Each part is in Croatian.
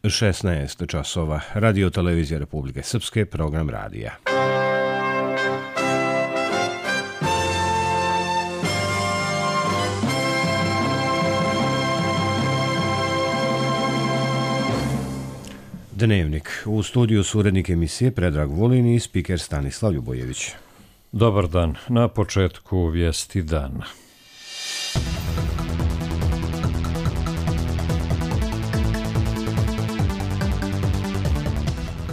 16 časova. Radio Televizija Republike Srpske, program radija. Dnevnik. U studiju su urednik emisije Predrag Vulin i spiker Stanislav Ljubojević. Dobar dan. Na početku vijesti dana.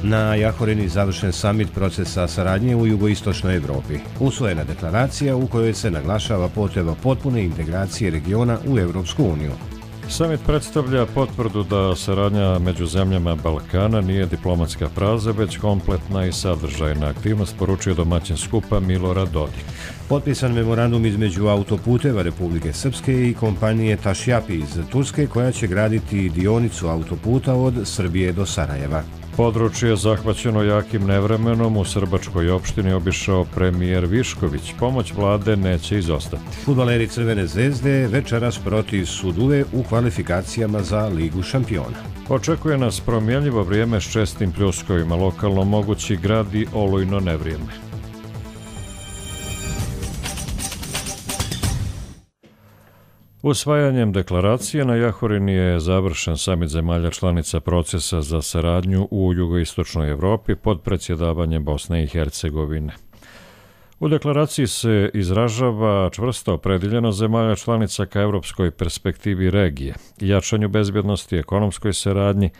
Na Jahorini završen samit procesa saradnje u jugoistočnoj Evropi. Usvojena deklaracija u kojoj se naglašava potreba potpune integracije regiona u Evropsku uniju. Samit predstavlja potvrdu da saradnja među zemljama Balkana nije diplomatska fraza, već kompletna i sadržajna aktivnost, poručio domaćin skupa Milorad Dodik. Potpisan memorandum između autoputeva Republike Srpske i kompanije Tašjapi iz Turske, koja će graditi dionicu autoputa od Srbije do Sarajeva. Područje zahvaćeno jakim nevremenom u Srbačkoj opštini obišao premijer Višković. Pomoć vlade neće izostati. Fudbaleri Crvene zvezde večeras protiv Suduve u kvalifikacijama za Ligu šampiona. Očekuje nas promjenljivo vrijeme s čestim pljuskovima, lokalno mogući grad i olujno nevrijeme. Usvajanjem deklaracije na Jahorini je završen samit zemalja članica procesa za saradnju u jugoistočnoj Evropi pod predsjedavanjem Bosne i Hercegovine. U deklaraciji se izražava čvrsta opredeljenost zemalja članica ka evropskoj perspektivi regije, jačanju bezbjednosti, ekonomskoj saradnji,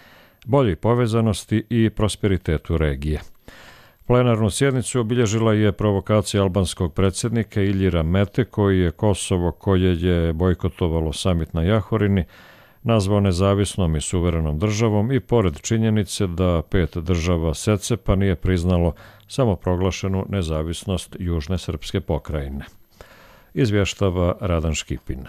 boljoj povezanosti i prosperitetu regije. Plenarnu sjednicu obilježila je provokacija albanskog predsjednika Iljira Mete, koji je Kosovo, koje je bojkotovalo samit na Jahorini, nazvao nezavisnom i suverenom državom i pored činjenice da 5 država SECEPA nije priznalo samoproglašenu nezavisnost Južne srpske pokrajine. Izvještava Radan Škipin.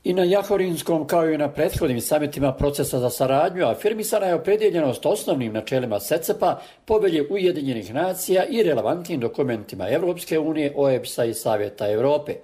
I na Jahorinskom, kao i na prethodnim samitima procesa za saradnju, afirmisana je opredjeljenost osnovnim načelima SECEPA, Povelje Ujedinjenih nacija i relevantnim dokumentima Evropske unije, OEBS-a i Savjeta Evrope.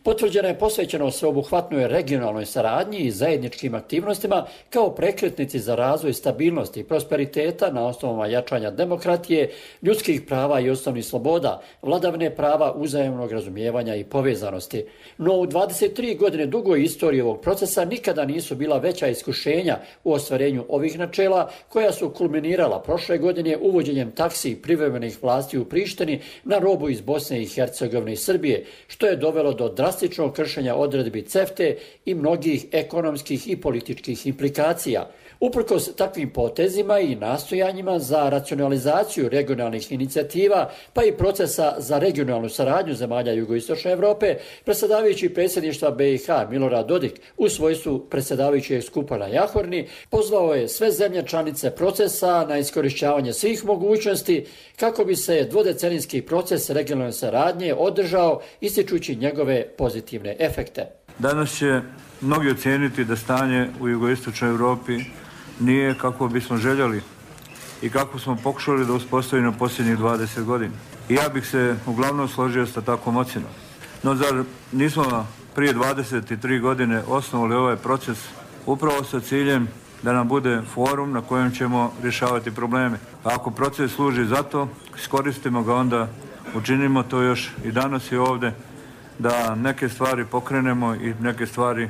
Potvrđena je posvećenost sveobuhvatnoj regionalnoj saradnji i zajedničkim aktivnostima kao prekretnici za razvoj stabilnosti i prosperiteta na osnovama jačanja demokratije, ljudskih prava i osnovnih sloboda, vladavine prava, uzajamnog razumijevanja i povezanosti. No u 23 godine dugoj istoriji ovog procesa nikada nisu bila veća iskušenja u ostvarenju ovih načela, koja su kulminirala prošle godine uvođenjem taksi privremenih vlasti u Prištini na robu iz Bosne i Hercegovine i Srbije, što je dovelo do drastičnog kršenja odredbi CEFTE i mnogih ekonomskih i političkih implikacija. Uprkos takvim potezima i nastojanjima za racionalizaciju regionalnih inicijativa, pa i procesa za regionalnu saradnju zemalja jugoistočne Evrope, predsjedavajući predsjedništva BiH Milorad Dodik u svojstvu predsjedavajućeg skupa na Jahorini pozvao je sve zemlje članice procesa na iskorišćavanje svih mogućnosti kako bi se dvodecenijski proces regionalne saradnje održao, ističući njegove pozitivne efekte. Danas će mnogi ocijeniti da stanje u jugoistočnoj Evropi nije kako bismo željeli i kako smo pokušali da uspostavimo posljednjih 20 godina. I ja bih se uglavnom složio sa takvom ocjenom. No zar nismo prije 23 godine osnovali ovaj proces upravo sa ciljem da nam bude forum na kojem ćemo rješavati probleme. A ako proces služi za to, iskoristimo ga, onda učinimo to još i danas i ovdje, da neke stvari pokrenemo i neke stvari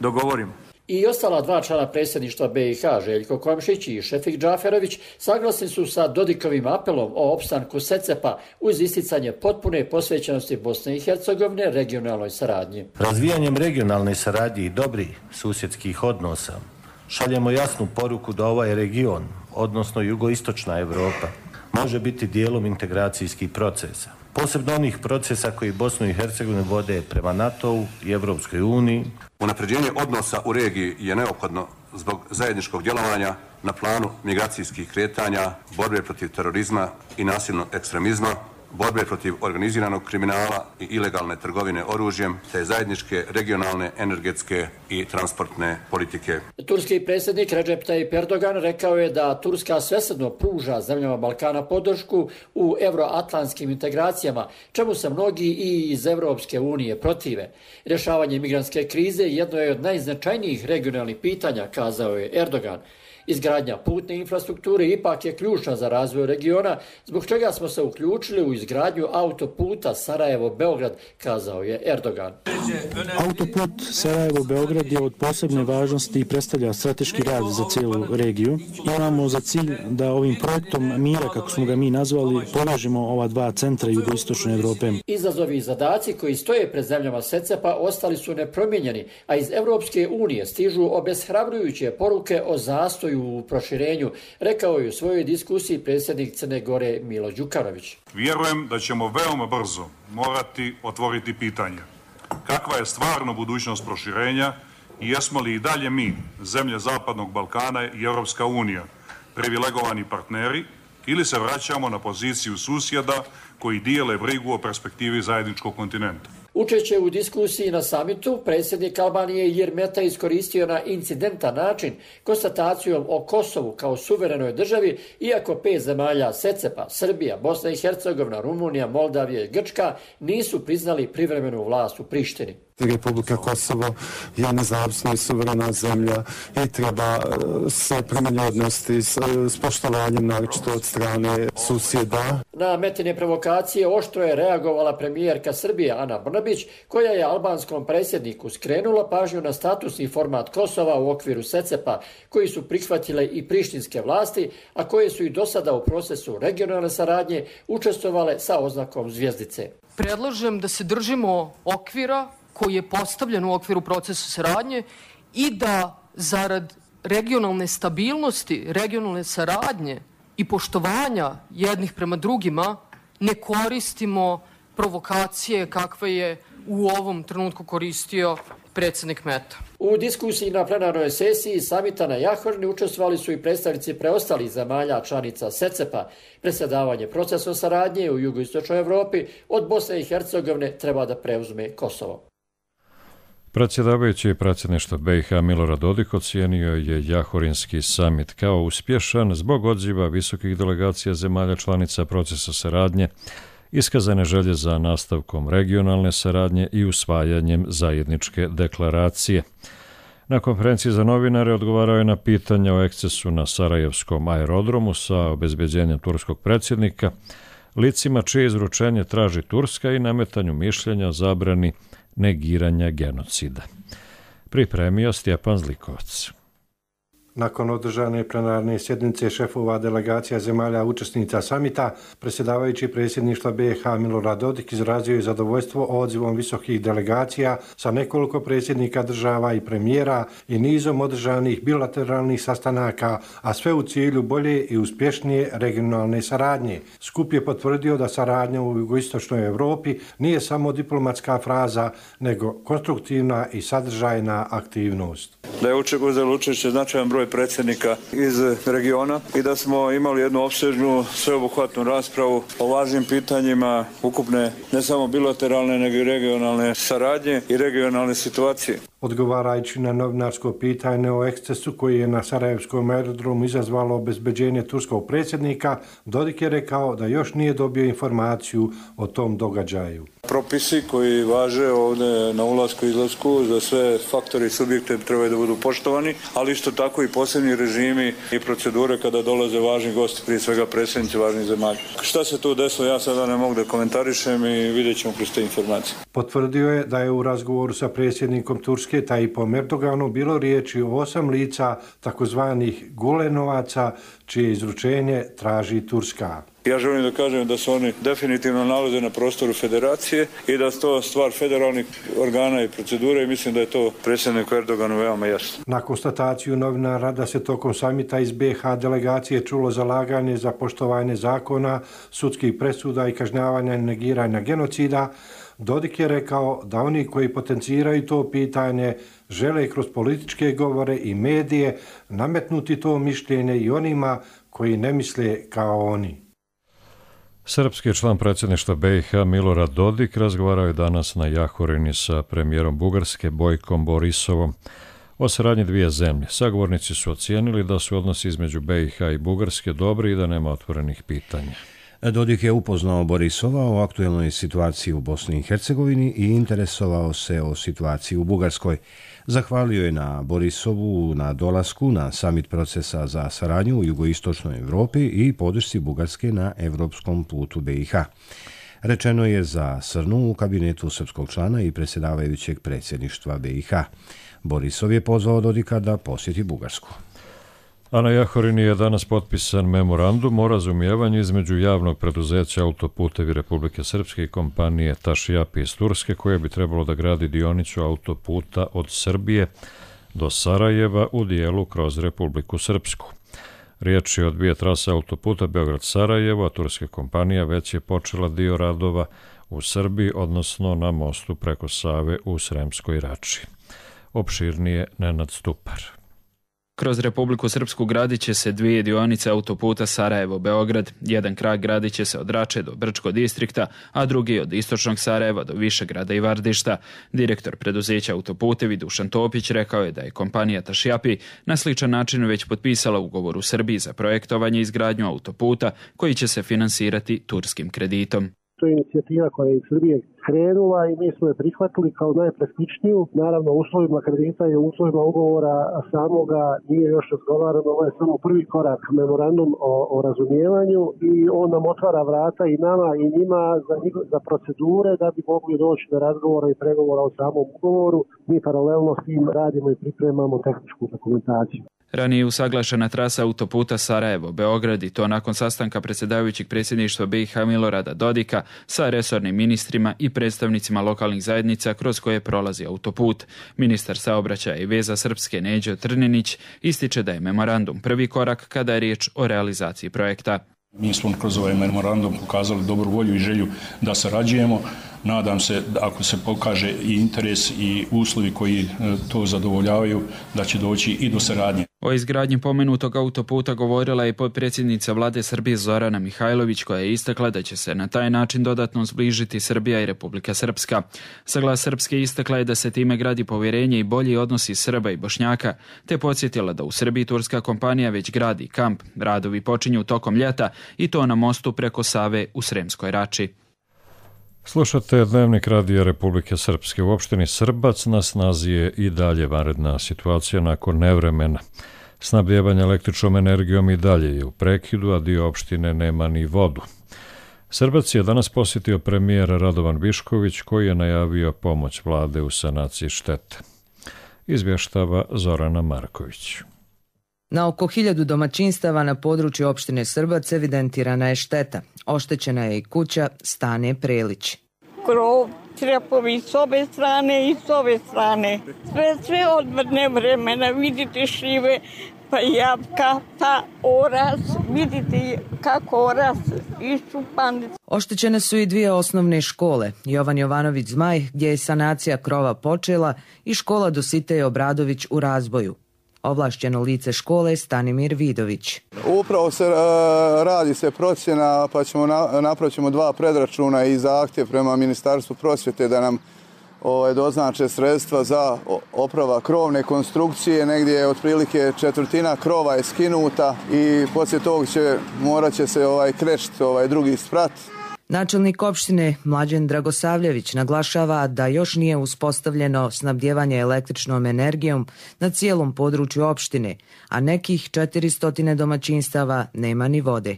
dogovorimo. I ostala dva člana predsjedništva BiH, Željko Komšić i Šefik Džaferović, saglasni su sa Dodikovim apelom o opstanku SECEPA uz isticanje potpune posvećenosti Bosne i Hercegovine regionalnoj saradnji. Razvijanjem regionalne saradnje i dobrih susjedskih odnosa šaljemo jasnu poruku da ovaj region, odnosno jugoistočna Evropa, može biti dijelom integracijskih procesa. Posebno onih procesa koji Bosnu i Hercegovinu vode prema NATO-u i Evropskoj uniji. Unapređenje odnosa u regiji je neophodno zbog zajedničkog djelovanja na planu migracijskih kretanja, borbe protiv terorizma i nasilnog ekstremizma, borbe protiv organiziranog kriminala i ilegalne trgovine oružjem, te zajedničke regionalne, energetske i transportne politike. Turski predsjednik Recep Tayyip Erdogan rekao je da Turska svesrdno pruža zemljama Balkana podršku u euroatlantskim integracijama, čemu se mnogi i iz Europske unije protive. Rješavanje migrantske krize jedno je od najznačajnijih regionalnih pitanja, kazao je Erdogan. Izgradnja putne infrastrukture ipak je ključna za razvoj regiona, zbog čega smo se uključili u izgradnju autoputa Sarajevo-Beograd, kazao je Erdogan. Autoput Sarajevo-Beograd je od posebne važnosti i predstavlja strateški rad za cijelu regiju. Imamo za cilj da ovim projektom mira, kako smo ga mi nazvali, povežemo ova dva centra jugoistočne Evrope. Izazovi i zadaci koji stoje pred zemljama SECEPA ostali su nepromijenjeni, a iz Europske unije stižu obeshrabrujuće poruke o zastoju u proširenju, rekao je u svojoj diskusiji predsjednik Crne Gore Milo Đukanović. Vjerujem da ćemo veoma brzo morati otvoriti pitanje kakva je stvarno budućnost proširenja i jesmo li i dalje mi, zemlje Zapadnog Balkana i Europska unija, privilegovani partneri ili se vraćamo na poziciju susjeda koji dijele brigu o perspektivi zajedničkog kontinenta. Učeće u diskusiji na samitu, predsjednik Albanije Ilir Meta iskoristio na incidentan način konstatacijom o Kosovu kao suverenoj državi, iako 5 zemalja SECEPA, Srbija, Bosna i Hercegovina, Rumunija, Moldavija i Grčka nisu priznali privremenu vlast u Prištini. Republika Kosovo je nezavisna i suverena zemlja i treba se prema njoj odnositi s poštovanjem, naročito od strane susjeda. Na Metine provokacije oštro je reagovala premijerka Srbije Ana Brnabić, koja je albanskom predsjedniku skrenula pažnju na statusni format Kosova u okviru SECEPA, koji su prihvatile i prištinske vlasti, a koje su i do sada u procesu regionalne saradnje učestvovale sa oznakom zvjezdice. Predlažem da se držimo okvira koji je postavljen u okviru procesa saradnje i da zarad regionalne stabilnosti, regionalne saradnje i poštovanja jednih prema drugima ne koristimo provokacije kakve je u ovom trenutku koristio predsjednik Meta. U diskusiji na plenarnoj sesiji samita na Jahorni učestvovali su i predstavnici preostalih zemalja članica SECEPA. Predsjedavanje procesom saradnje u jugoistočnoj Evropi od Bosne i Hercegovine treba da preuzme Kosovo. Predsjedavajući predsjedništva BiH Milorad Dodik ocijenio je Jahorinski samit kao uspješan zbog odziva visokih delegacija zemalja članica procesa saradnje, iskazane želje za nastavkom regionalne saradnje i usvajanjem zajedničke deklaracije. Na konferenciji za novinare odgovarao je na pitanja o ekscesu na Sarajevskom aerodromu sa obezbeđenjem turskog predsjednika, licima čije izručenje traži Turska i nametanju mišljenja o zabrani negiranja genocida. Pripremio Stjepan Zlikovac. Nakon održane plenarne sjednice šefova delegacija zemalja učesnica samita, predsjedavajući predsjedništva BiH Milorad Dodik izrazio je zadovoljstvo odzivom visokih delegacija sa nekoliko predsjednika država i premijera i nizom održanih bilateralnih sastanaka, a sve u cilju bolje i uspješnije regionalne saradnje. Skup je potvrdio da saradnja u jugoistočnoj Europi nije samo diplomatska fraza, nego konstruktivna i sadržajna aktivnost. Da je uzelo učešće značajan broj predsjednika iz regiona i da smo imali jednu opsežnu, sveobuhvatnu raspravu o važnim pitanjima ukupne, ne samo bilateralne, nego i regionalne saradnje i regionalne situacije. Odgovarajući na novinarsko pitanje o ekscesu koji je na Sarajevskom aerodromu izazvalo obezbeđenje turskog predsjednika, Dodik je rekao da još nije dobio informaciju o tom događaju. Propisi koji važe ovdje na ulasku i izlasku za sve faktore i subjekte trebaju da budu poštovani, ali isto tako i posebni režimi i procedure kada dolaze važni gosti, prije svega predsjednici važnih zemalja. Šta se tu desilo, ja sada ne mogu da komentarišem i vidjet ćemo kroz te informacije. Potvrdio je da je u razgovoru sa predsjednikom Turske Tayyipom Erdoganom bilo riječi o 8 lica takozvanih Gulenovaca, čije izručenje traži Turska. Ja želim da kažem da se oni definitivno nalaze na prostoru federacije i da je to stvar federalnih organa i procedure i mislim da je to predsjedniku Erdoganu veoma jasno. Na konstataciju novinara da se tokom samita iz BiH delegacije čulo zalaganje za poštovanje zakona, sudskih presuda i kažnjavanja i negiranja genocida, Dodik je rekao da oni koji potenciraju to pitanje žele kroz političke govore i medije nametnuti to mišljenje i onima koji ne misle kao oni. Srpski član predsjedništva BiH Milorad Dodik razgovarao je danas na Jahorini sa premijerom Bugarske Bojkom Borisovom o saradnji dvije zemlje. Sagovornici su ocijenili da su odnosi između BiH i Bugarske dobri i da nema otvorenih pitanja. Dodik je upoznao Borisova o aktuelnoj situaciji u Bosni i Hercegovini i interesovao se o situaciji u Bugarskoj. Zahvalio je na Borisovu na dolasku na samit procesa za saradnju u jugoistočnoj Europi i podršci Bugarske na evropskom putu BiH. Rečeno je za Srnu u kabinetu srpskog člana i predsjedavajućeg predsjedništva BiH. Borisov je pozvao Dodika da posjeti Bugarsku. A na Jahorini je danas potpisan memorandum o razumijevanju između javnog preduzeća Autoputevi Republike Srpske i kompanije Tašijapi iz Turske, koje bi trebalo da gradi dionicu autoputa od Srbije do Sarajeva u dijelu kroz Republiku Srpsku. Riječ je o dvije trase autoputa Beograd-Sarajevo, a turska kompanija već je počela dio radova u Srbiji, odnosno na mostu preko Save u Sremskoj Rači. Opširnije Nenad Stupar. Kroz Republiku Srpsku gradit će se dvije dionice autoputa Sarajevo-Beograd. Jedan krak gradit će se od Rače do Brčko distrikta, a drugi od istočnog Sarajeva do Višegrada i Vardišta. Direktor preduzeća Autoputevi Dušan Topić rekao je da je kompanija Tašijapi na sličan način već potpisala ugovor u Srbiji za projektovanje i izgradnju autoputa koji će se finansirati turskim kreditom. To je inicijativa koja je iz Srbije krenula i mi smo je prihvatili kao najpraktičniju. Naravno, uslovima kredita i uslovima ugovora samoga nije još razgovarano. Ovo je samo prvi korak, memorandum o razumijevanju, i on nam otvara vrata i nama i njima za procedure da bi mogli doći do razgovora i pregovora o samom ugovoru. Mi paralelno s tim radimo i pripremamo tehničku dokumentaciju. Ranije je usaglašena trasa autoputa Sarajevo-Beograd i to nakon sastanka predsjedavajućeg predsjedništva BiH Milorada Dodika sa resornim ministrima i predstavnicima lokalnih zajednica kroz koje prolazi autoput. Ministar saobraćaja i veza Srpske Neđo Trninić ističe da je memorandum prvi korak kada je riječ o realizaciji projekta. Mi smo kroz ovaj memorandum pokazali dobru volju i želju da sarađujemo. Nadam se da ako se pokaže i interes i uslovi koji to zadovoljavaju, da će doći i do saradnje. O izgradnji pomenutog autoputa govorila je potpredsjednica vlade Srbije Zorana Mihajlović, koja je istakla da će se na taj način dodatno zbližiti Srbija i Republika Srpska. Za Glas Srpske istakla je da se time gradi povjerenje i bolji odnosi Srba i Bošnjaka, te podsjetila da u Srbiji turska kompanija već gradi kamp. Radovi počinju tokom ljeta i to na mostu preko Save u Sremskoj Rači. Slušate Dnevnik Radija Republike Srpske. U opštini Srbac na snazi je i dalje vanredna situacija nakon nevremena. Snabdijevanje električnom energijom i dalje je u prekidu, a dio opštine nema ni vodu. Srbac je danas posjetio premijer Radovan Višković, koji je najavio pomoć vlade u sanaciji štete. Izvještava Zorana Marković. Na oko 1000 domaćinstava na području opštine Srbac evidentirana je šteta. Oštećena je i kuća Stane Prelić. Krov, trepovi s obe strane i s ove strane. Sve od nevremena, vidite šljive, pa jabuka, pa oras, vidite kako oras iščupan. Oštećene su i dvije osnovne škole, Jovan Jovanović Zmaj, gdje je sanacija krova počela, i škola Dositej Obradović u razvoju. Ovlašćeno lice škole Stanimir Vidović. Upravo radi se procjena, pa napravimo 2 predračuna i zahtjev prema Ministarstvu prosvjete da nam doznače sredstva za oprava krovne konstrukcije. Negdje je otprilike 1/4 krova je skinuta i poslije tog morat će se krešt drugi sprat. Načelnik opštine Mlađen Dragosavljević naglašava da još nije uspostavljeno snabdijevanje električnom energijom na cijelom području opštine, a nekih 400 domaćinstava nema ni vode.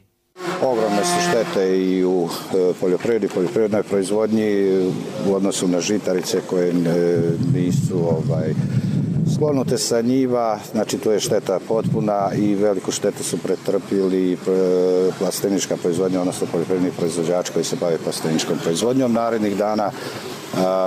Ogromne su štete i u poljoprivrednoj proizvodnji u odnosu na žitarice koje nisu sklonute sa njiva, znači tu je šteta potpuna i veliku štetu su pretrpili plastenička proizvodnja, odnosno poljoprivredni proizvođači koji se bave plasteničkom proizvodnjom. Narednih dana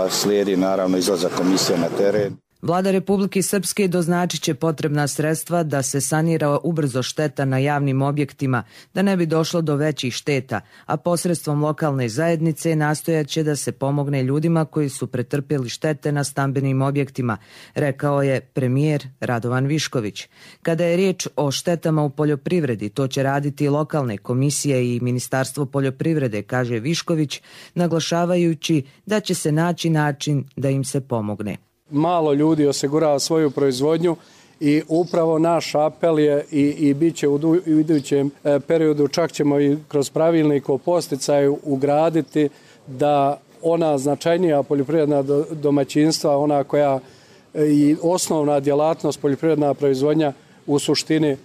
slijedi naravno izlazak komisije na teren. Vlada Republike Srpske doznačit će potrebna sredstva da se sanira ubrzo šteta na javnim objektima, da ne bi došlo do većih šteta, a posredstvom lokalne zajednice nastojat će da se pomogne ljudima koji su pretrpjeli štete na stambenim objektima, rekao je premijer Radovan Višković. Kada je riječ o štetama u poljoprivredi, to će raditi lokalne komisije i Ministarstvo poljoprivrede, kaže Višković, naglašavajući da će se naći način da im se pomogne. Malo ljudi osigurava svoju proizvodnju i upravo naš apel je i bit će u idućem periodu, čak ćemo i kroz pravilnik o posticaju ugraditi da ona značajnija poljoprivredna domaćinstva, ona koja i osnovna djelatnost poljoprivredna proizvodnja u suštini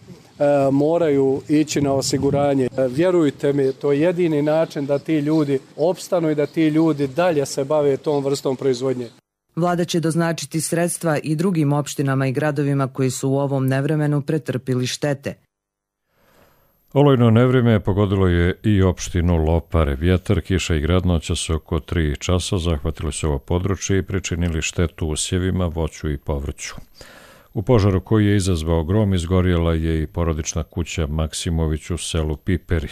moraju ići na osiguranje. Vjerujte mi, to je jedini način da ti ljudi opstanu i da ti ljudi dalje se bave tom vrstom proizvodnje. Vlada će doznačiti sredstva i drugim opštinama i gradovima koji su u ovom nevremenu pretrpili štete. Olujno nevrijeme pogodilo je i opštinu Lopare. Vjetar, kiša i gradnoća su oko 3 časa zahvatili su ovo područje i pričinili štetu usjevima, voću i povrću. U požaru koji je izazvao grom izgorjela je i porodična kuća Maksimović u selu Piperi.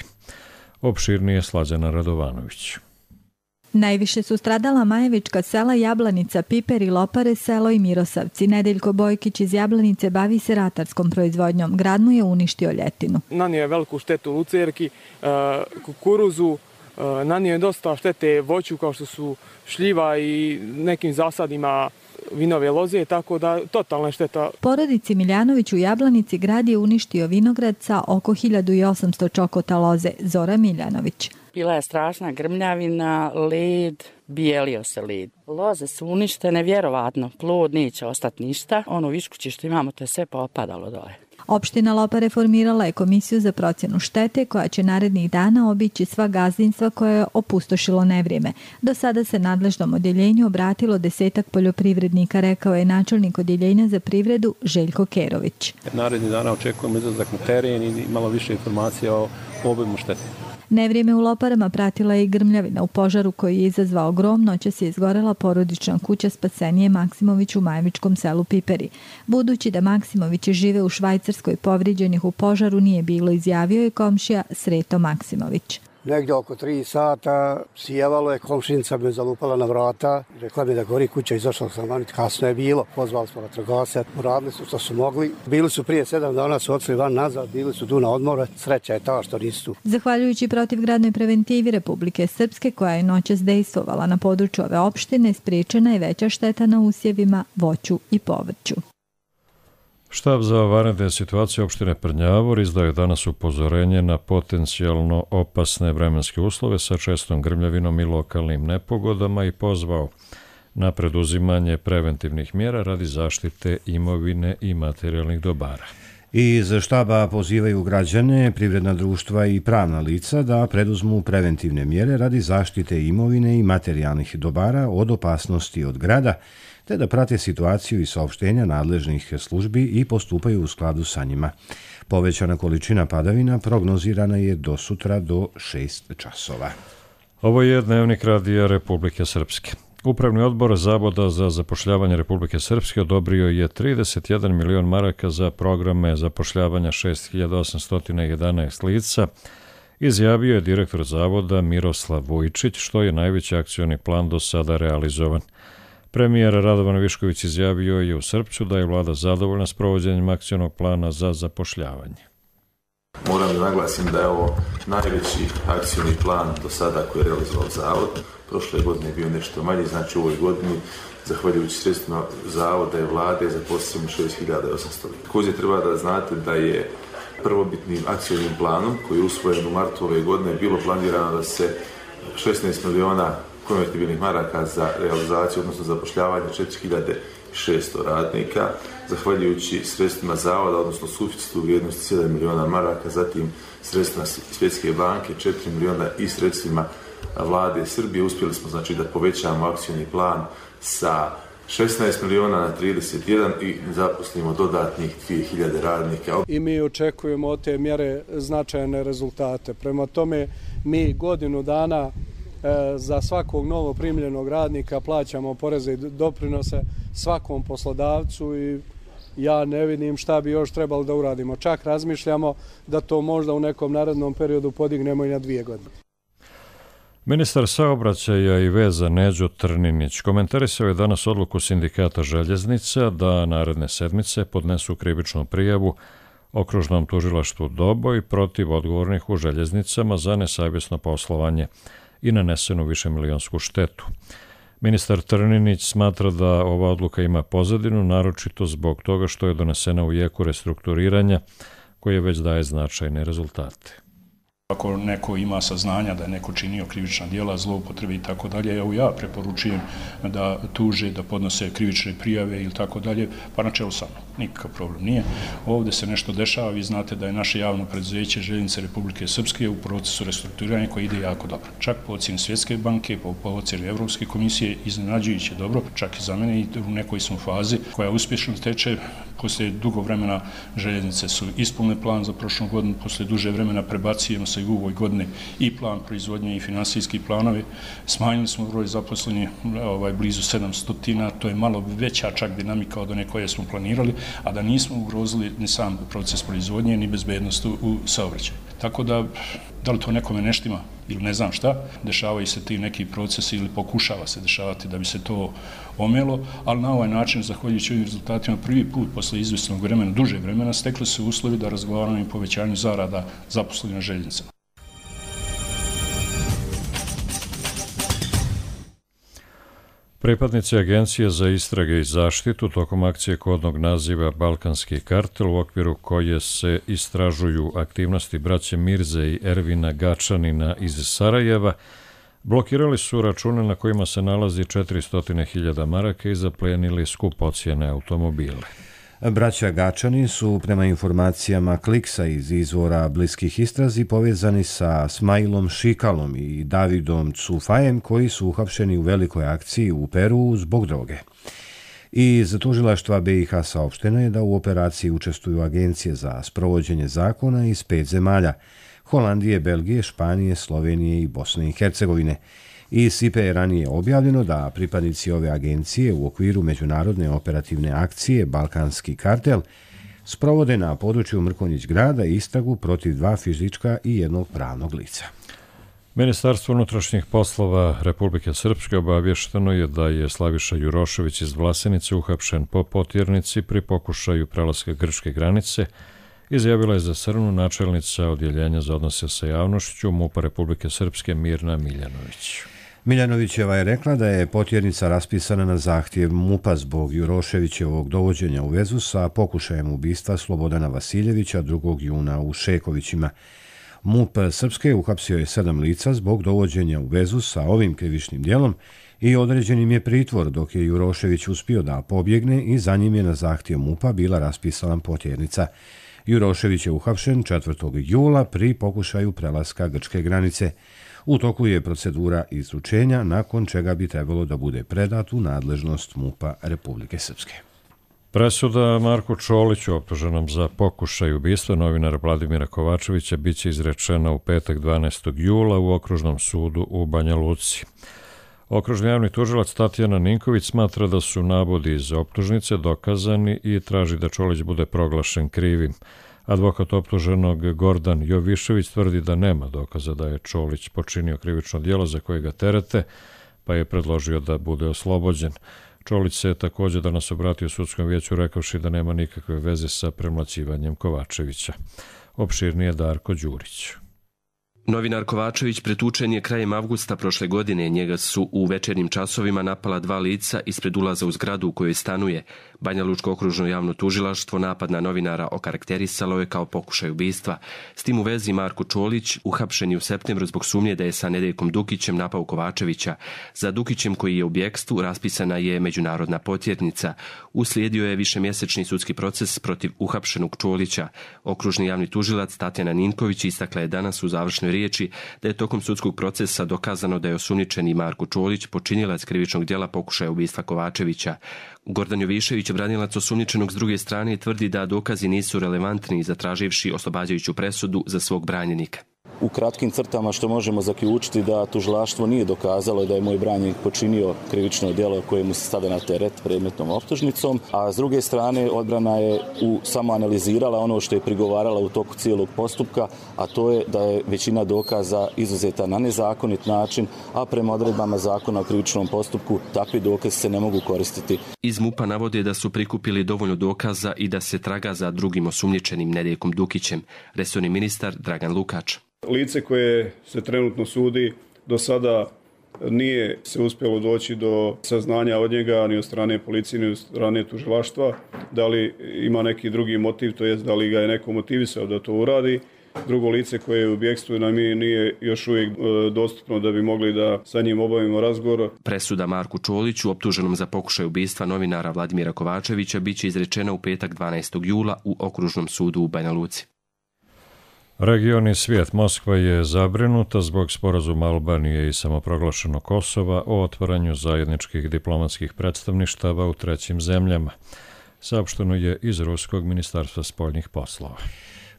Opširnije Slađana Radovanović. Najviše su stradala Majevička sela Jablanica, Piperi, Lopare, Selo i Mirosavci. Nedeljko Bojkić iz Jablanice bavi se ratarskom proizvodnjom. Grad mu je uništio ljetinu. Nanio je veliku štetu lucerki, kukuruzu, nanio je dosta štete voću kao što su šljiva i nekim zasadima vinove loze, tako da totalna šteta. Porodici Miljanović u Jablanici grad je uništio vinograd sa oko 1800 čokota loze. Zora Miljanović. Bila je strašna grmljavina, led, bijelio se led. Loze su uništene, vjerovatno, plod neće ostati ništa. Ono viškuće što imamo, to je sve popadalo dole. Opština Lopare formirala je komisiju za procjenu štete koja će narednih dana obići sva gazdinstva koje je opustošilo nevrijeme. Do sada se nadležnom odjeljenju obratilo 10 poljoprivrednika, rekao je načelnik odjeljenja za privredu Željko Kerović. Narednih dana očekujemo izlazak na teren i malo više informacija o obimu štete. Nevrijeme u Loparama pratila je i grmljavina. U požaru koji je izazvao grom noćas je izgorela porodična kuća Spasenije Maksimović u Majevičkom selu Piperi. Budući da Maksimovići žive u Švajcarskoj, povrijeđenih u požaru nije bilo, izjavio je komšija Sreto Maksimović. Negdje oko 3 sata sijevalo je, komšinica me zalupala na vrata, rekla mi da gori kuća, izašla sam van, kasno je bilo, pozvali smo vatrogasce, uradili su što su mogli. Bili su prije 7 dana, su odšli van nazad, bili su tu na odmoru, sreća je ta što nisu tu. Zahvaljujući protivgradnoj preventivi Republike Srpske, koja je noćas dejstvovala na području ove opštine, spriječena je veća šteta na usjevima, voću i povrću. Štab za vanredne situacije opštine Prnjavor izdao je danas upozorenje na potencijalno opasne vremenske uslove sa čestom grmljavinom i lokalnim nepogodama i pozvao na preduzimanje preventivnih mjera radi zaštite imovine i materijalnih dobara. Iz štaba pozivaju građane, privredna društva i pravna lica da preduzmu preventivne mjere radi zaštite imovine i materijalnih dobara od opasnosti od grada, te da prate situaciju i saopštenja nadležnih službi i postupaju u skladu sa njima. Povećana količina padavina prognozirana je do sutra do 6 časova. Ovo je dnevnik radija Republike Srpske. Upravni odbor Zavoda za zapošljavanje Republike Srpske odobrio je 31 milion maraka za programe zapošljavanja 6811 lica, izjavio je direktor Zavoda Miroslav Vujčić, što je najveći akcioni plan do sada realizovan. Premijer Radovan Višković izjavio je u Srpcu da je vlada zadovoljna s provođenjem akcionog plana za zapošljavanje. Moram da naglasim da je ovo najveći akcioni plan do sada koji je realizovao Zavod. Prošle godine je bio nešto manji, znači u ovoj godini, zahvaljujući sredstvima Zavoda i vlade, zaposlimo 6800. Također treba da znate da je prvobitnim akcionim planom koji je usvojen u martu ove godine bilo planirano da se 16 miliona konvertibilnih maraka za realizaciju, odnosno zapošljavanje 4600 radnika, zahvaljujući sredstvima Zavoda, odnosno suficitu u vrijednosti 7 miliona maraka, zatim sredstvima Svjetske banke 4 miliona i sredstvima vlade Srbije. Uspjeli smo znači da povećamo akcioni plan sa 16 miliona na 31 i zaposlimo dodatnih 2000 radnika. I mi očekujemo od te mjere značajne rezultate. Prema tome, mi godinu dana za svakog novo primljenog radnika plaćamo poreze i doprinose svakom poslodavcu i ja ne vidim šta bi još trebalo da uradimo. Čak razmišljamo da to možda u nekom narednom periodu podignemo i na 2 godine. Ministar saobraćaja i veza Neđo Trninić komentarisao je danas odluku Sindikata željeznica da naredne sedmice podnesu krivičnu prijavu Okružnom tužilaštvu Doboj protiv odgovornih u željeznicama za nesavjesno poslovanje i nanesenu višemilionsku štetu. Ministar Trninić smatra da ova odluka ima pozadinu, naročito zbog toga što je donesena u jeku restrukturiranja koje već daje značajne rezultate. Ako neko ima saznanja da je neko činio krivična djela, zloupotrebe i tako dalje, evo ja preporučujem da tuže, da podnose krivične prijave ili tako dalje, pa na čelu sa mnom. Nikakav problem nije. Ovdje se nešto dešava, vi znate da je naše javno preduzeće Željeznice Republike Srpske u procesu restrukturiranja koji ide jako dobro. Čak po ocjeni Svjetske banke, po ocjeni Evropske komisije, iznenađujuće dobro, čak i za mene i u nekoj smo fazi koja uspješno teče. Poslije dugo vremena željeznice su ispunile plan za prošlu godinu, poslije duže vremena prebacujemo se i u ovoj godine i plan proizvodnje i finansijski planovi. Smanjili smo broj zaposlenih blizu 700, to je malo veća čak dinamika od one koje smo planirali, a da nismo ugrozili ni sam proces proizvodnje ni bezbednost u saobraćaju. Tako da li to nekome ne štima ili ne znam šta, dešavaju se ti neki procesi ili pokušava se dešavati da bi se to omelo, ali na ovaj način, zahvaljujući ovim rezultatima, prvi put posle izvjesnog vremena, duže vremena, stekli su uslovi da razgovaramo i povećanju zarada zaposlenih na željeznicama. Pripadnici Agencije za istrage i zaštitu tokom akcije kodnog naziva Balkanski kartel, u okviru koje se istražuju aktivnosti braće Mirze i Ervina Gačanina iz Sarajeva, blokirali su račune na kojima se nalazi 400.000 maraka i zaplenili skupocjene automobile. Braća Gačani su, prema informacijama Kliksa iz izvora bliskih istrazi, povezani sa Smajlom Šikalom i Davidom Cufajem, koji su uhapšeni u velikoj akciji u Peru zbog droge. Iz tužilaštva BiH saopšteno je da u operaciji učestvuju agencije za sprovođenje zakona iz 5 zemalja: Holandije, Belgije, Španije, Slovenije i Bosne i Hercegovine. Iz SIPE je ranije objavljeno da pripadnici ove agencije u okviru međunarodne operativne akcije Balkanski kartel sprovode na području Mrkonjić grada istragu protiv 2 fizička i 1 pravnog lica. Ministarstvo unutrašnjih poslova Republike Srpske obavješteno je da je Slaviša Jurošević iz Vlasenice uhapšen po potjernici pri pokušaju prelaska grčke granice, izjavila je za Srnu načelnica Odjeljenja za odnose sa javnošću MUP-a Republike Srpske Mirna Miljanović. Miljanovićeva je rekla da je potjernica raspisana na zahtjev MUP-a zbog Juroševićevog dovođenja u vezu sa pokušajem ubistva Slobodana Vasiljevića 2. juna u Šekovićima. MUP Srpske uhapsio je 7 lica zbog dovođenja u vezu sa ovim krivičnim djelom i određenim je pritvor, dok je Jurošević uspio da pobjegne i za njim je na zahtjev MUP-a bila raspisana potjernica. Jurošević je uhapšen 4. jula pri pokušaju prelaska grčke granice. U toku je procedura izručenja, nakon čega bi trebalo da bude predat u nadležnost MUP-a Republike Srpske. Presuda Marku Čoliću, optuženom za pokušaj ubistva novinara Vladimira Kovačevića, biće izrečena u petak 12. jula u Okružnom sudu u Banja Luci. Okružni javni tužilac Tatjana Ninković smatra da su navodi iz optužnice dokazani i traži da Čolić bude proglašen krivim. Advokat optuženog Gordan Jovišević tvrdi da nema dokaza da je Čolić počinio krivično djelo za koje ga terete, pa je predložio da bude oslobođen. Čolić se također danas obratio sudskom vijeću rekavši da nema nikakve veze sa premlaćivanjem Kovačevića. Opširnije Darko Đurić. Novinar Kovačević pretučen je krajem avgusta prošle godine. Njega su u večernjim časovima napala 2 lica ispred ulaza u zgradu u kojoj stanuje. Banja Lučko okružno javno tužilaštvo napad na novinara okarakterisalo je kao pokušaj ubistva. S tim u vezi Marko Čolić uhapšen je u septembru zbog sumnje da je sa Nedeljkom Dukićem napao Kovačevića. Za Dukićem, koji je u bjekstvu, raspisana je međunarodna potjernica. Uslijedio je višemjesečni sudski proces protiv uhapšenog Čolića. Okružni javni tužilac Tatjana Ninković istakla je danas u završnoj riječi da je tokom sudskog procesa dokazano da je osumnjičeni Marko Čolić počinilac krivičnog djela pokušaja ubistva Kovačevića. Gordan Jovišević, branilac osumnjičenog s druge strane, tvrdi da dokazi nisu relevantni, zatraživši oslobađajuću presudu za svog branjenika. U kratkim crtama što možemo zaključiti da tužilaštvo nije dokazalo da je moj branjenik počinio krivično djelo koje mu se stavlja na teret predmetnom optužnicom, a s druge strane odbrana je samo analizirala ono što je prigovarala u toku cijelog postupka, a to je da je većina dokaza izuzeta na nezakonit način, a prema odredbama zakona o krivičnom postupku takvi dokazi se ne mogu koristiti. Iz MUP-a navode da su prikupili dovoljno dokaza i da se traga za drugim osumnjičenim Nedeljkom Dukićem, resorni ministar Dragan Lukač. Lice koje se trenutno sudi do sada nije se uspjelo doći do saznanja od njega ni od strane policije ni od strane tužilaštva. Da li ima neki drugi motiv, to jest da li ga je neko motivisao da to uradi. Drugo lice koje je u bjegstvu nam nije još uvijek dostupno da bi mogli da sa njim obavimo razgovor. Presuda Marku Čoliću, optuženom za pokušaj ubistva novinara Vladimira Kovačevića, biće izrečena u petak 12. jula u Okružnom sudu u Banja Luci. Region i svijet. Moskva je zabrinuta zbog sporazuma Albanije i samoproglašenog Kosova o otvaranju zajedničkih diplomatskih predstavništava u trećim zemljama. Saopšteno je iz Ruskog ministarstva spoljnih poslova.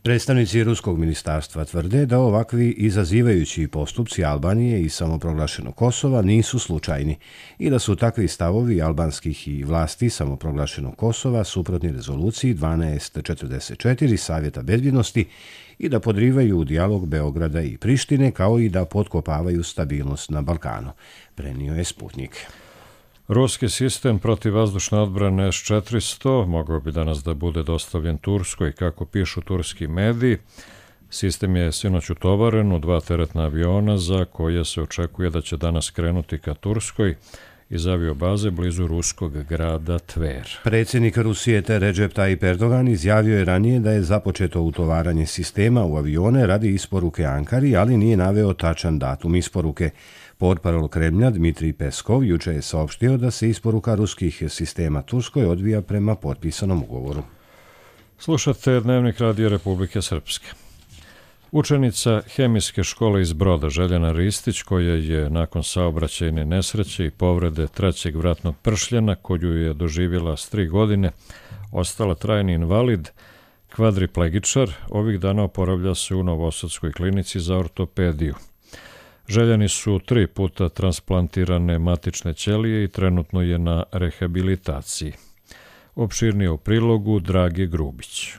Predstavnici Ruskog ministarstva tvrde da ovakvi izazivajući postupci Albanije i samoproglašenog Kosova nisu slučajni i da su takvi stavovi albanskih i vlasti samoproglašenog Kosova suprotni rezoluciji 1244 Savjeta bezbjednosti i da podrivaju dijalog Beograda i Prištine, kao i da potkopavaju stabilnost na Balkanu, prenio je Sputnik. Ruski sistem protivvazdušne odbrane S-400 mogao bi danas da bude dostavljen Turskoj, kako pišu turski mediji. Sistem je sinoć utovaren u 2 teretna aviona za koje se očekuje da će danas krenuti ka Turskoj iz aviobaze blizu ruskog grada Tver. Predsjednik Rusije Recep Tayyip Erdogan izjavio je ranije da je započeto utovaranje sistema u avione radi isporuke Ankari, ali nije naveo tačan datum isporuke. Portparol Kremlja Dmitrij Peskov juče je saopštio da se isporuka ruskih sistema Turskoj odvija prema potpisanom ugovoru. Slušate Dnevnik Radija Republike Srpske. Učenica hemijske škole iz Broda Željana Ristić, koja je nakon saobraćajne nesreće i povrede 3. vratnog pršljena, koju je doživjela s 3 godine, ostala trajni invalid, kvadriplegičar, ovih dana oporavlja se u Novosadskoj klinici za ortopediju. Željani su 3 puta transplantirane matične ćelije i trenutno je na rehabilitaciji. Opširnije u prilogu Drage Grubić.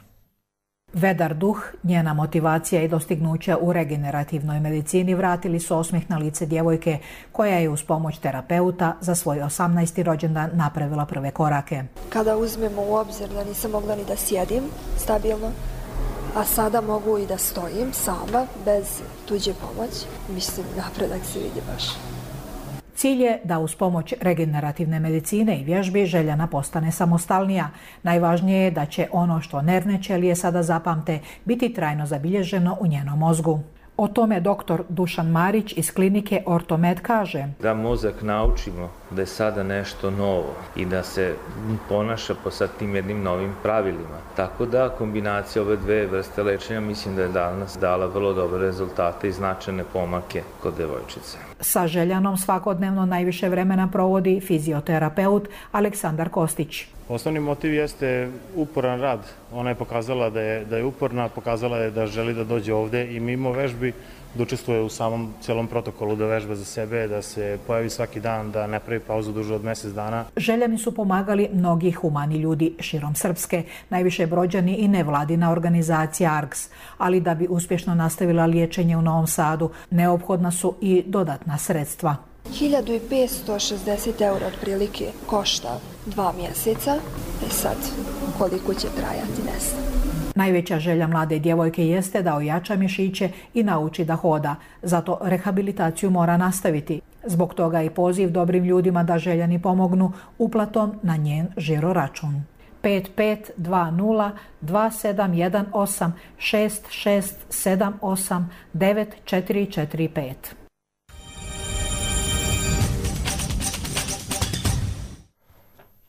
Vedar duh, njena motivacija i dostignuća u regenerativnoj medicini vratili su osmijeh na lice djevojke koja je uz pomoć terapeuta za svoj 18. rođendan napravila prve korake. Kada uzmemo u obzir da nisam mogla ni da sjedim stabilno, a sada mogu i da stojim sama, bez tuđe pomoći, mislim, napredak se vidi baš. Cilj je da uz pomoć regenerativne medicine i vježbi Željana postane samostalnija. Najvažnije je da će ono što nervne ćelije sada zapamte biti trajno zabilježeno u njenom mozgu. O tome doktor Dušan Marić iz klinike Ortomed kaže: da mozak naučimo da je sada nešto novo i da se ponaša po sad tim jednim novim pravilima. Tako da kombinacija ove dve vrste lečenja mislim da je danas dala vrlo dobre rezultate i značajne pomake kod devojčice. Sa Željanom svakodnevno najviše vremena provodi fizioterapeut Aleksandar Kostić. Osnovni motiv jeste uporan rad. Ona je pokazala da je uporna, pokazala je da želi da dođe ovde i mimo vežbi da učestvuje u samom cijelom protokolu, da vežba za sebe, da se pojavi svaki dan, da ne pravi pauzu duže od mjesec dana. Željani su pomagali mnogi humani ljudi širom Srpske, najviše Brođani i nevladina organizacija ARGS, ali da bi uspješno nastavila liječenje u Novom Sadu, neophodna su i dodatna sredstva. 1560 € otprilike košta 2 mjeseca, sad koliko će trajati ne znam. Najveća želja mlade djevojke jeste da ojača mišiće i nauči da hoda, zato rehabilitaciju mora nastaviti. Zbog toga i poziv dobrim ljudima da Željani pomognu uplatom na njen žiro račun. 5520 2718 6678 9445.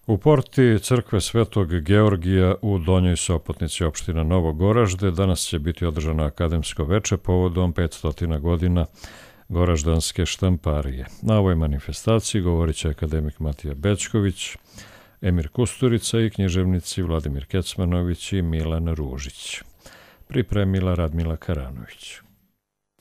U porti crkve Svetog Georgija u Donjoj Sopotnici, opština Novo Goražde, danas će biti održano akademsko veče povodom 500 godina goraždanske štamparije. Na ovoj manifestaciji govorit će akademik Matija Bećković, Emir Kusturica i književnici Vladimir Kecmanović i Milan Ružić. Pripremila Radmila Karanović.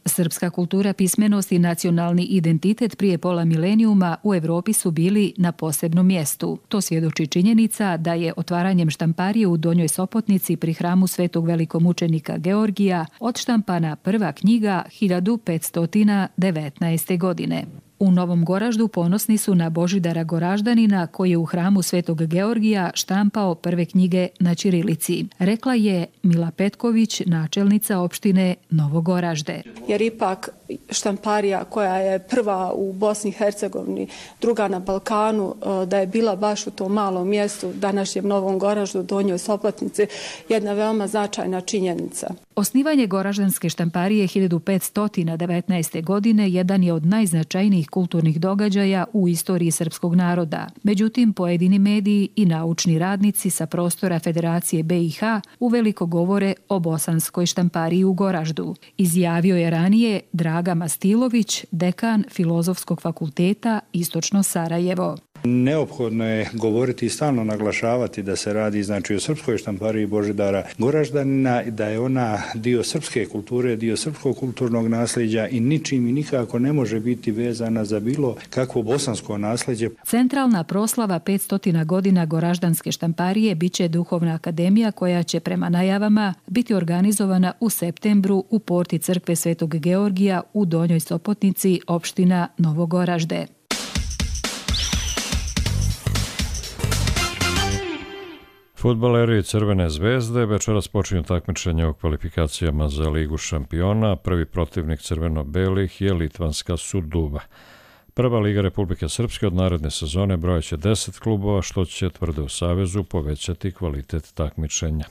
Srpska kultura, pismenost i nacionalni identitet prije pola milenijuma u Evropi su bili na posebnom mjestu. To svjedoči činjenica da je otvaranjem štamparije u Donjoj Sopotnici pri hramu Svetog velikomučenika Georgija odštampana prva knjiga 1519. godine. U Novom Goraždu ponosni su na Božidara Goraždanina koji je u hramu Svetog Georgija štampao prve knjige na ćirilici. Rekla je Mila Petković, načelnica opštine Novo Goražde. Jer ipak štamparija koja je prva u Bosni i Hercegovini, druga na Balkanu, da je bila baš u tom malom mjestu, današnjem Novom Goraždu, Donjoj Sopotnici, jedna veoma značajna činjenica. Osnivanje Goraždanske štamparije 1519. godine jedan je od najznačajnijih kulturnih događaja u istoriji srpskog naroda. Međutim, pojedini mediji i naučni radnici sa prostora Federacije BiH uveliko govore o bosanskoj štampariji u Goraždu. Izjavio je ranije Draga Mastilović, dekan Filozofskog fakulteta Istočno Sarajevo. Neophodno je govoriti i stalno naglašavati da se radi o srpskoj štampariji Božidara Goraždanina, da je ona dio srpske kulture, dio srpskog kulturnog nasljeđa i ničim i nikako ne može biti vezana za bilo kakvo bosansko nasljeđe. Centralna proslava 500 godina Goraždanske štamparije biće Duhovna akademija koja će prema najavama biti organizovana u septembru u porti crkve Svetog Georgija u Donjoj Sopotnici, opština Novo Goražde. Fudbaleri Crvene zvezde večeras počinju takmičenje u kvalifikacijama za Ligu šampiona. Prvi protivnik crveno-belih je litvanska Suduva. Prva Liga Republike Srpske od naredne sezone brojeće 10 klubova, što će, tvrde u Savezu, povećati kvalitet takmičenja.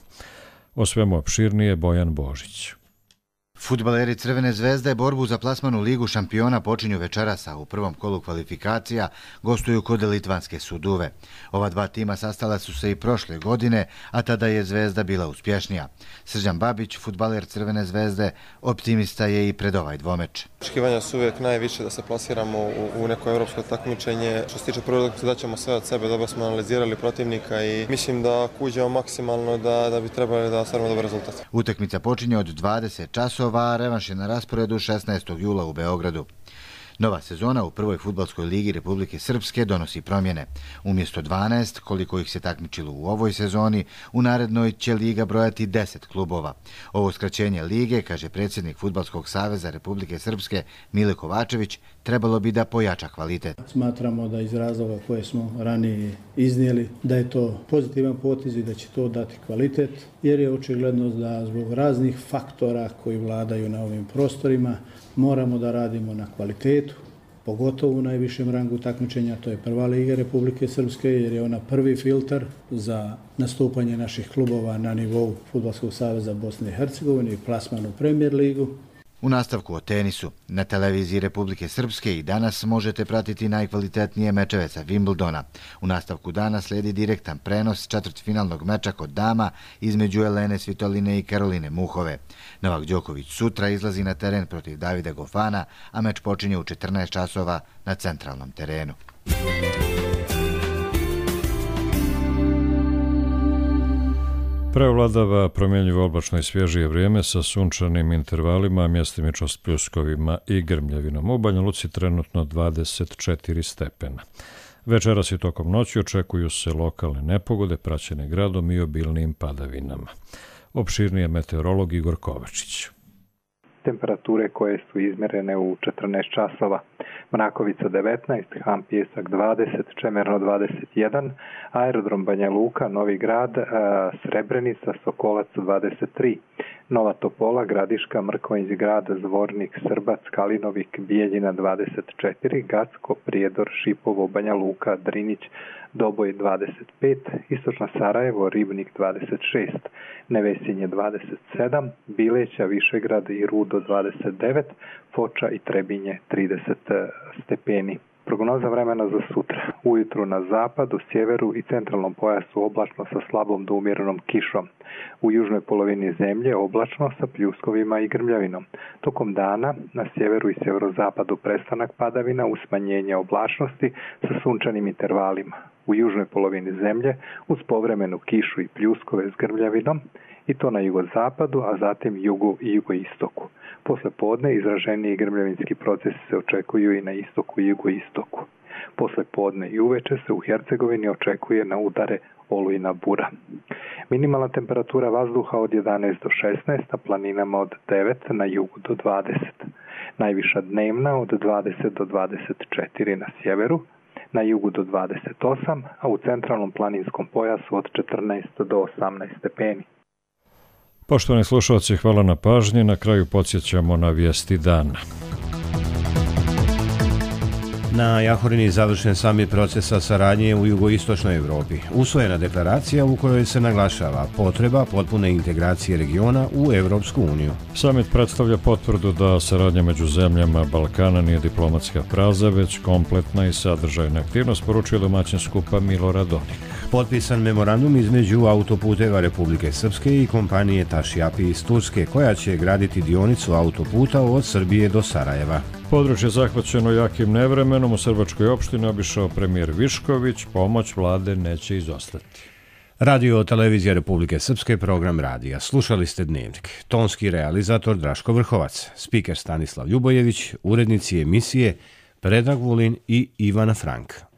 O svemu opširnije Bojan Božić. Fudbaleri Crvene zvezde borbu za plasman u Ligu šampiona počinju večerasa. U prvom kolu kvalifikacija gostuju kod litvanske Suduve. Ova dva tima sastala su se i prošle godine, a tada je Zvezda bila uspješnija. Srđan Babić, fudbaler Crvene zvezde, optimista je i pred ovaj dvomeč. Očekivanja su uvijek najviše da se plasiramo u neko evropsko takmičenje. Što se tiče prve utakmice, daćemo sve od sebe, dobro smo analizirali protivnika i mislim da kuđemo maksimalno da bi trebali da ostvarimo dobar rezultat. Utakmica počinje od 20 časova, a revanš je na rasporedu 16. jula u Beogradu. Nova sezona u prvoj fudbalskoj ligi Republike Srpske donosi promjene. Umjesto 12, koliko ih se takmičilo u ovoj sezoni, u narednoj će liga brojati 10 klubova. Ovo skraćenje lige, kaže predsjednik Fudbalskog saveza Republike Srpske Mile Kovačević, trebalo bi da pojača kvalitet. Smatramo da iz razloga koje smo ranije iznijeli, da je to pozitivan potez i da će to dati kvalitet, jer je očigledno da zbog raznih faktora koji vladaju na ovim prostorima moramo da radimo na kvalitetu, pogotovo u najvišem rangu takmičenja, to je prva liga Republike Srpske, jer je ona prvi filtar za nastupanje naših klubova na nivou Fudbalskog saveza Bosne i Hercegovine i plasman u Premier ligu. U nastavku o tenisu. Na televiziji Republike Srpske i danas možete pratiti najkvalitetnije mečeve sa Wimbledona. U nastavku dana slijedi direktan prenos četvrtfinalnog meča kod dama između Elene Svitoline i Karoline Muhove. Novak Đoković sutra izlazi na teren protiv Davida Gofana, a meč počinje u 14 časova na centralnom terenu. Prevladava promjenjivo oblačno i svježije vrijeme sa sunčanim intervalima, mjestimično s pljuskovima i grmljavinom. U Banja Luci trenutno 24 stepena. Večeras i tokom noći očekuju se lokalne nepogode praćene gradom i obilnim padavinama. Opširnije meteorolog Igor Kovačić. Temperature koje su izmjerene u 14 časova. Mrakovica 19, Ham Pjesak 20, Čemerno 21, Aerodrom Banja Luka, Novi Grad, Srebrenica, Sokolac 23, Nova Topola, Gradiška, Mrkonjić Grad, Zvornik, Srbac, Kalinovik, Bijeljina 24, Gacko, Prijedor, Šipovo, Banja Luka, Drinić, Doboj 25, Istočno Sarajevo, Ribnik 26, Nevesinje 27, Bileća, Višegrad i Rudo 29, Foča i Trebinje 30 stepeni. Prognoza vremena za sutra. Ujutru na zapadu, sjeveru i centralnom pojasu oblačno sa slabom do umjerenom kišom. U južnoj polovini zemlje oblačno sa pljuskovima i grmljavinom. Tokom dana na sjeveru i sjeverozapadu prestanak padavina uz smanjenje oblačnosti sa sunčanim intervalima. U južnoj polovini zemlje uz povremenu kišu i pljuskove s grmljavinom i to na jugozapadu, a zatim jugu i jugoistoku. Posle podne izraženiji grmljavinski procesi se očekuju i na istoku i jugoistoku. Posle podne i uveče se u Hercegovini očekuje na udare olujna bura. Minimalna temperatura vazduha od 11 do 16, na planinama od 9, na jugu do 20. Najviša dnevna od 20 do 24 na sjeveru, na jugu do 28, a u centralnom planinskom pojasu od 14 do 18 stepeni. Poštovani slušalci, hvala na pažnji. Na kraju podsjećamo na vijesti dana. Na Jahorini završen samit procesa saradnje u jugoistočnoj Evropi. Usvojena deklaracija u kojoj se naglašava potreba potpune integracije regiona u Evropsku uniju. Samit predstavlja potvrdu da saradnja među zemljama Balkana nije diplomatska fraza, već kompletna i sadržajna aktivnost, poručuje domaćin skupa Milorad Dodik. Potpisan memorandum između autoputeva Republike Srpske i kompanije Tašjapi iz Turske, koja će graditi dionicu autoputa od Srbije do Sarajeva. Područje zahvaćeno jakim nevremenom u Srbačkoj opštini obišao premijer Višković, pomoć vlade neće izostati. Radio televizija Republike Srpske, program radija. Slušali ste Dnevnik. Tonski realizator Draško Vrhovac, spiker Stanislav Ljubojević, urednici emisije Predrag Vulin i Ivana Frank.